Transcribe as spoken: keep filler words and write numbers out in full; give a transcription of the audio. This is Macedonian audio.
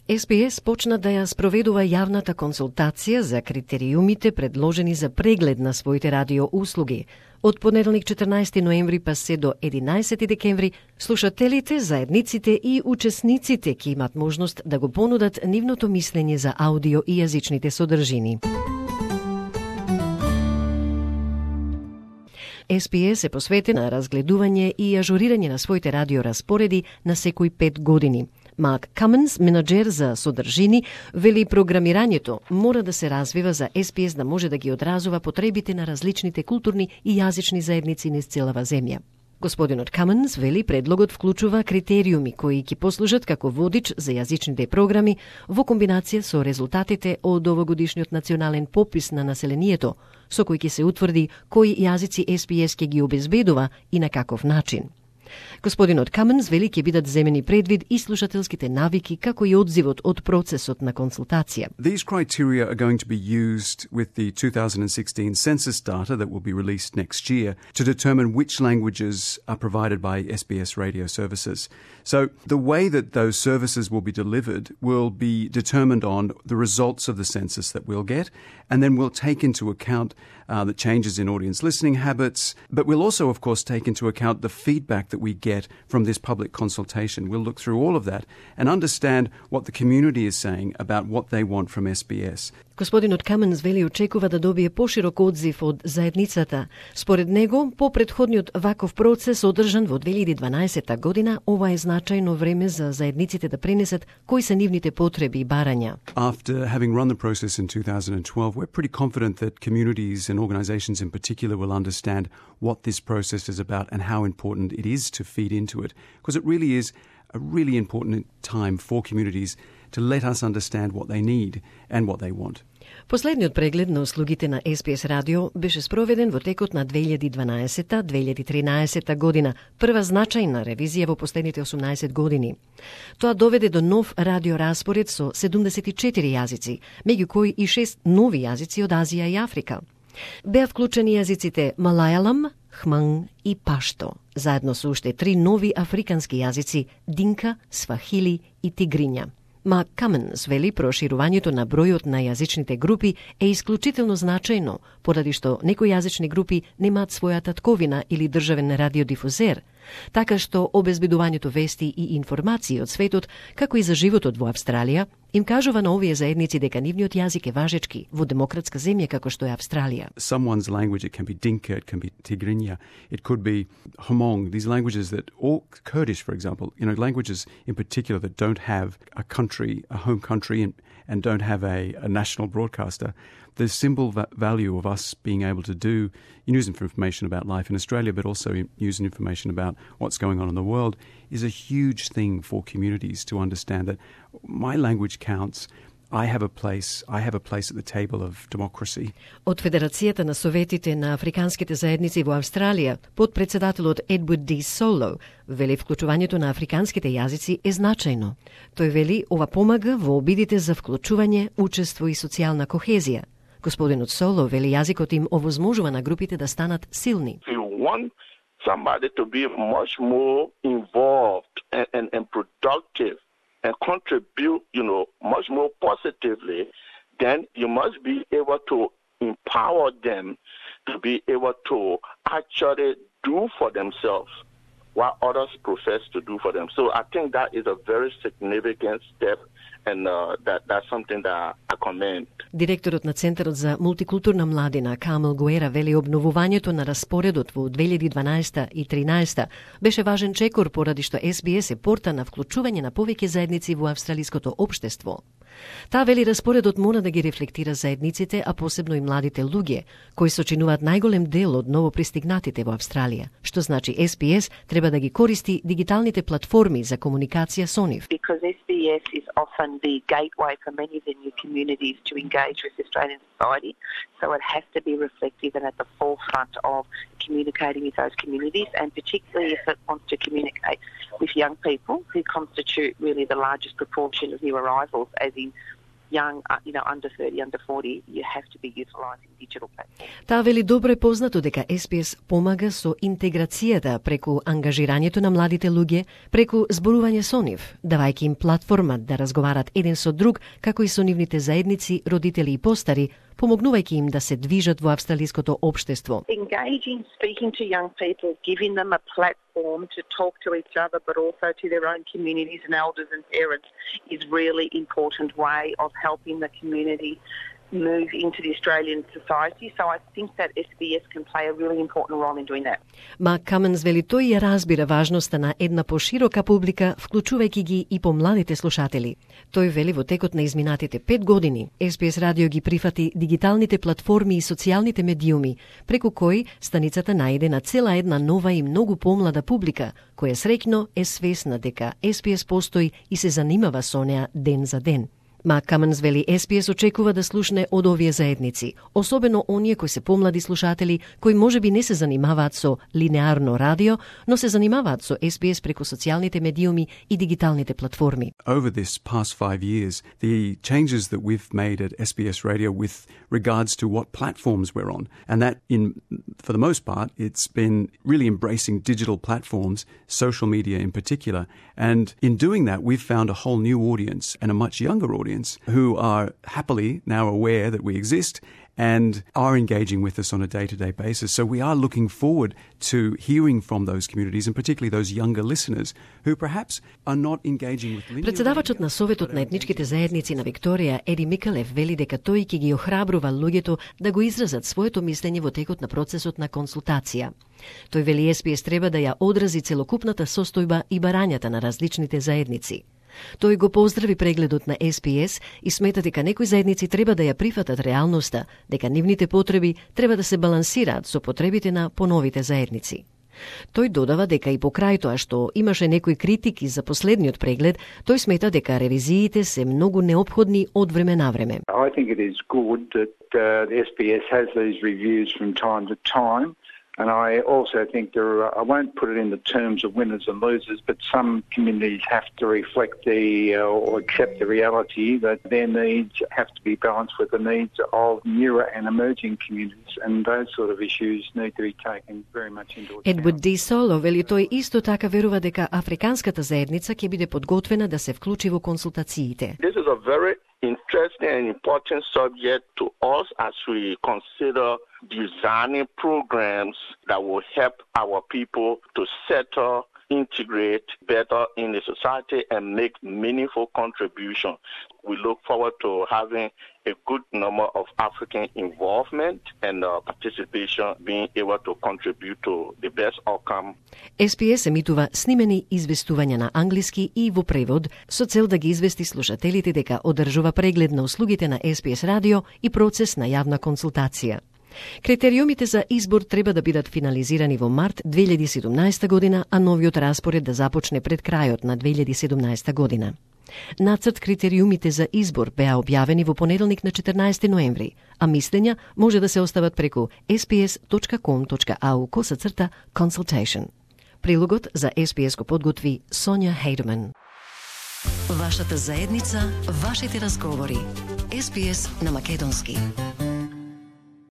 Ес Би Ес почна да ја спроведува јавната консултација за критериумите предложени за преглед на своите радио услуги. Од понеделник четрнаесети ноември па се до единаесети декември, слушателите, заедниците и учесниците ќе имат можност да го понудат нивното мислење за аудио и јазичните содржини. Ес Би Ес е посветен на разгледување и ажурирање на своите радиораспореди на секои пет години. Марк Каменс, менаџер за содржини, вели програмирањето мора да се развива за Ес Би Ес да може да ги одразува потребите на различните културни и јазични заедници низ целава земја. Господинот Каменс вели предлогот вклучува критериуми кои ќе послужат како водич за јазичните програми во комбинација со резултатите од овогодишниот национален попис на населението, со кој ќе се утврди кои јазици Ес Би Ес ќе ги обезбедува и на каков начин. Господинот Каменс вели ќе бидат земени предвид и слушателските навики, како и одзивот од процесот на консултација. These criteria are going to be used with the two thousand sixteen census data that will be released next year to determine which languages are provided by Ес Би Ес radio services. So the way that those services will be delivered will be determined on the results of the census that we'll get, and then we'll take into account uh, the changes in audience listening habits, but we'll also, of course, take into account the feedback that we get from this public consultation. We'll look through all of that and understand what the community is saying about what they want from Ес Би Ес. Господинот Каменс вели очекува да добие поширок одзив од заедницата. Според него, по претходниот ваков процес одржан во две илјади и дванаесета година, ова е значајно време за заедниците да пренесат кои се нивните потреби и барања. After having run the process in two thousand twelve, we're pretty confident that communities and organizations in particular will understand what this process is about and how important it is to feed into it, because it really is a really important time for communities to let us understand what they need and what they want. Последниот преглед на услугите на Ес Би Ес радио беше спроведен во текот на две илјади и дванаесета - две илјади и тринаесета година, прва значајна ревизија во последните осумнаесет години. Тоа доведе до нов радиораспоред со седумдесет и четири јазици, меѓу кои и шест нови јазици од Азија и Африка. Беа вклучени јазиците Малајалам, Хманг и Пашто, заедно со уште три нови африкански јазици Динка, Свахили и Тигриња. Марк Каменс вели проширувањето на бројот на јазичните групи е исклучително значајно, поради што некои јазични групи немаат своја татковина или државен радиодифузер, така што обезбедувањето вести и информации од светот, како и за животот во Австралија, им кажува на овие заедници дека нивниот јазик е важечки во демократска земја како што е Австралија. Someone's language, it can be Dinka, it can be Tigrinya, it could be Hmong, these languages that, or Kurdish, for example, you know, languages in particular that don't have a country, a home country, and, and don't have a, a national broadcaster. The symbol va- value of us being able to do news information about life in Australia, but also news and information about what's going on in the world, is a huge thing for communities to understand that my language counts. I have a place, I have a place at the table of democracy. Од Федерацијата на советите на африканските заедници во Австралија, подпредседателот Едвард Ди Соло вели вклучувањето на африканските јазици е значајно. Тој вели ова помага во обидите за вклучување, учество и социјална кохезија. Господинот Соло вели јазикот им овозможува на групите да станат силни. You want somebody to be much more involved and, and, and productive and contribute, you know, much more positively, then you must be able to empower them to be able to actually do for themselves what others profess to do for them. So I think that is a very significant step, and uh, that that's something that I commend. Директорот на Центарот за мултикултурна младина Камел Гуера вели обновувањето на распоредот во две илјади и дванаесета и тринаесета беше важен чекор поради што Ес Би Ес е порта на вклучување на повеќе заедници во австралиското општество. Таа вели распоредот мора да ги рефлектира заедниците, а посебно и младите луѓе, кои сочинуваат најголем дел од новопристигнатите во Австралија, што значи Ес Би Ес треба да ги користи дигиталните платформи за комуникација со нив. Because Ес Би Ес is often the gateway for many of the new communities to engage with Australian society, so it has to be reflective and at the forefront of communicating with those communities, and particularly if it wants to communicate with young people who constitute really the largest proportion of new arrivals, as in young, uh, you know, under thirty, under forty, you have to be utilising digital platforms. Таа вели добро е познато дека Ес Би Ес помага со интеграцијата преку ангажирањето на младите луѓе, преку зборување со нив, давајќи им платформа да разговарат еден со друг, како и со нивните заедници, родители и постари, помогнувајќи им да се движат во австралиското општество. Engaging, speaking to young people, giving them a platform to talk to each other, but also to their own communities and elders and parents is really important way of helping the community move into the Australian society. So I think that Ес Би Ес can play a really important role in doing that. Мак Каменс вели тој ја разбира важноста на една поширока публика, вклучувајќи ги и помладите слушатели. Тој вели во текот на изминатите пет години Ес Би Ес радио ги прифати дигиталните платформи и социјалните медиуми, преку кои станицата најде на цела една нова и многу помлада публика, која среќно е свесна дека Ес Би Ес постои и се занимава со неа ден за ден. Мак Каменс вели Ес Би Ес очекува да слушне од овие заедници, особено оние кои се помлади слушатели, кои можеби не се занимаваат со линеарно радио, но се занимаваат со Ес Би Ес преку социјалните медиуми и дигиталните платформи. Over this past five years, the changes that we've made at Ес Би Ес Radio with regards to what platforms we're on, and that in, for the most part, it's been really embracing digital platforms, social media in particular, and in doing that, we've found a whole new audience and a much younger audience who are happily now aware that we exist and are engaging with us on a day-to-day basis. So we are looking forward to hearing from those communities, and particularly those younger listeners who perhaps are not engaging with linear. Председавачот на Советот на етничките заедници на Викторија, Еди Микалев, вели дека тој ќе ги охрабрува луѓето да го изразат своето мислење во текот на процесот на консултација. Тој вели Ес Би Ес треба да ја одрази целокупната состојба и барањата на различните заедници. Тој го поздрави прегледот на Ес Би Ес и смета дека некои заедници треба да ја прифатат реалноста, дека нивните потреби треба да се балансираат со потребите на поновите заедници. Тој додава дека и покрај тоа што имаше некои критики за последниот преглед, тој смета дека ревизиите се многу неопходни од време на време. I think it is good that uh, the Ес Би Ес has these reviews from time to time. And I also think there are, I won't put it in the terms of winners and losers, but some communities have to reflect the, uh, or accept the reality that their needs have to be balanced with the needs of newer and emerging communities, and those sort of issues need to be taken very much into account. Едвард Ди Соло вели тој исто така верува дека африканската заедница ќе биде подготвена да се вклучи во консултациите. This is a very interesting and important subject to us as we consider designing programs that will help our people to settle, integrate better in the society and make meaningful contribution. We look forward to having a good number of African involvement and uh, participation, being able to contribute to the best outcome. Ес Би Ес емитува снимени известувања на англиски и во превод со цел да ги извести слушателите дека одржува преглед на услугите на Ес Би Ес радио и процес на јавна консултација. Критериумите за избор треба да бидат финализирани во март две илјади и седумнаесета година, а новиот распоред да започне пред крајот на две илјади и седумнаесета година. Нацрт критериумите за избор беа објавени во понеделник на четрнаесети ноември, а мислења може да се остават преку ес би ес точка ком точка ау косацрта consultation. Прилогот за Ес Би Ес го подготви Сонја Хейдман. Вашата заедница, вашите разговори. Ес Би Ес на македонски.